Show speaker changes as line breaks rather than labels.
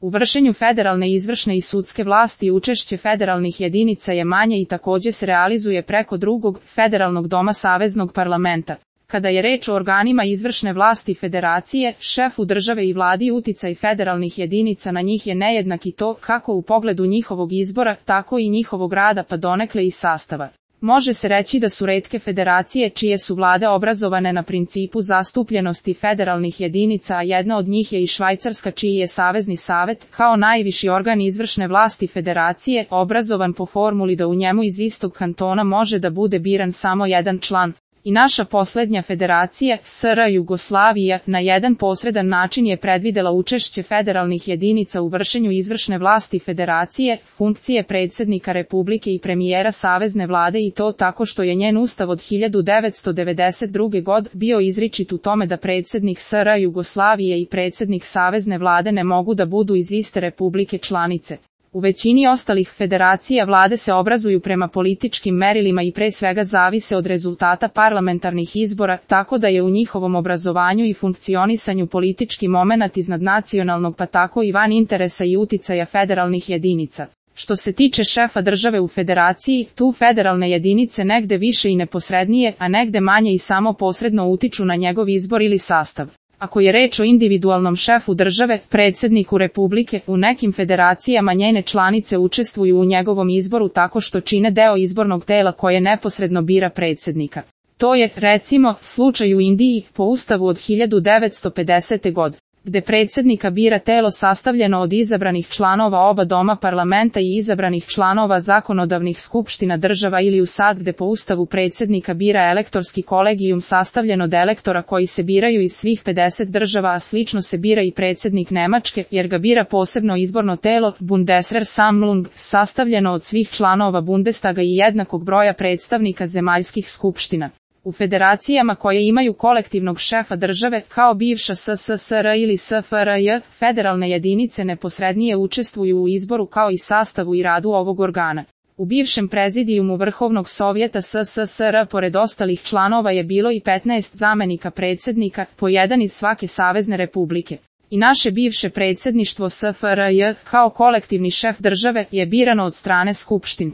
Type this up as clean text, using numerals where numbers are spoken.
U vršenju federalne izvršne i sudske vlasti učešće federalnih jedinica je manje i također se realizuje preko drugog, federalnog doma Saveznog parlamenta. Kada je reč o organima izvršne vlasti federacije, šefu države i vladi uticaj federalnih jedinica na njih je nejednak i to kako u pogledu njihovog izbora, tako i njihovog rada pa donekle i sastava. Može se reći da su retke federacije čije su vlade obrazovane na principu zastupljenosti federalnih jedinica, a jedna od njih je i Švajcarska čiji je Savezni savet, kao najviši organ izvršne vlasti federacije, obrazovan po formuli da u njemu iz istog kantona može da bude biran samo jedan član. I naša posljednja federacija, SR Jugoslavija, na jedan posredan način je predvidela učešće federalnih jedinica u vršenju izvršne vlasti federacije, funkcije predsjednika Republike i premijera Savezne vlade i to tako što je njen ustav od 1992. godine bio izričit u tome da predsjednik SR Jugoslavije i predsjednik Savezne vlade ne mogu da budu iz iste republike članice. U većini ostalih federacija vlade se obrazuju prema političkim merilima i pre svega zavise od rezultata parlamentarnih izbora, tako da je u njihovom obrazovanju i funkcionisanju politički momenat iznad nacionalnog pa tako i van interesa i uticaja federalnih jedinica. Što se tiče šefa države u federaciji, tu federalne jedinice negde više i neposrednije, a negde manje i samo posredno utiču na njegov izbor ili sastav. Ako je reč o individualnom šefu države, predsjedniku Republike, u nekim federacijama njene članice učestvuju u njegovom izboru tako što čine deo izbornog tela koje neposredno bira predsjednika. To je, recimo, slučaj u Indiji, po ustavu od 1950. godine, gde predsjednika bira telo sastavljeno od izabranih članova oba doma parlamenta i izabranih članova zakonodavnih skupština država ili u SAD gde po ustavu predsjednika bira elektorski kolegijum sastavljen od elektora koji se biraju iz svih 50 država, a slično se bira i predsjednik Nemačke, jer ga bira posebno izborno telo, Bundesversammlung, sastavljeno od svih članova Bundestaga i jednakog broja predstavnika zemaljskih skupština. U federacijama koje imaju kolektivnog šefa države, kao bivša SSSR ili SFRJ, federalne jedinice neposrednije učestvuju u izboru kao i sastavu i radu ovog organa. U bivšem prezidijumu Vrhovnog sovjeta SSSR pored ostalih članova je bilo i 15 zamenika predsjednika, po jedan iz svake savezne republike. I naše bivše predsjedništvo SFRJ, kao kolektivni šef države, je birano od strane skupštin.